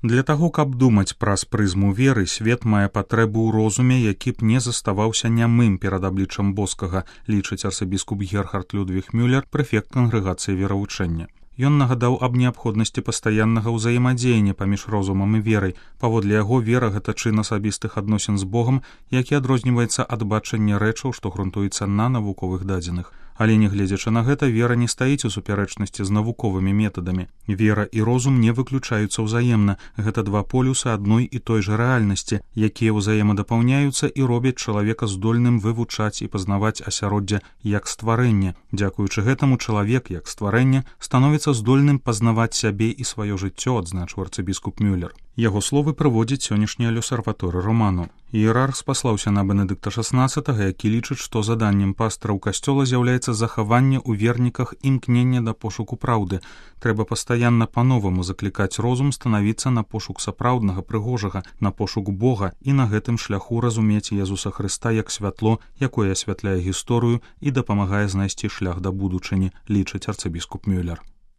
Для таго, каб думаць праз прызму веры, свет мае патрэбу ў розуме, які б не заставаўся нямым перад абліччам боскага, лічыць арцыбіскуп Герхард Людвіг Мюллер, прэфект кангрэгацыі веравучэння. Ён нагадаў аб неабходнасці пастаяннага ўзаемадзеяння паміж розумам і верай. Паводле яго, вера — гэта чын асабістых адносін з Богам, які адрозніваецца ад бачання рэчаў, што грунтуецца на навуковых дадзеных. Але, нягледзячы на гэта, вера не стаіць у супярэчнасці з навуковымі метадамі. Вера і розум не выключаюцца ўзаемна. Гэта два полюсы адной і той жа рэальнасці, якія ўзаемадапаўняюцца і робяць чалавека здольным вывучаць і пазнаваць асяроддзе як стварэнне. Дзякуючы гэтаму чалавек, як стварэнне, становіцца здольным пазнаваць сябе і сваё жыццё, адзначыў арцыбіскуп Мюллер. Яго словы прыводзіць сённяшні L'Osservatore Romano. Іерарх спаслаўся на Бенедыкта XVI, які лічыць, што заданнем пастыраў касцёла з'яўляецца захаванне ў верніках імкнення да пошуку праўды. Трэба пастаянна па-новаму заклікаць розум станавіцца на пошук сапраўднага, прыгожага, на пошук Бога і на гэтым шляху разумець Езуса Хрыста як святло, якое асвятляе гісторыю і дапамагае знайсці шлях да будучыні, лічыць арцыбіскуп Мюллер.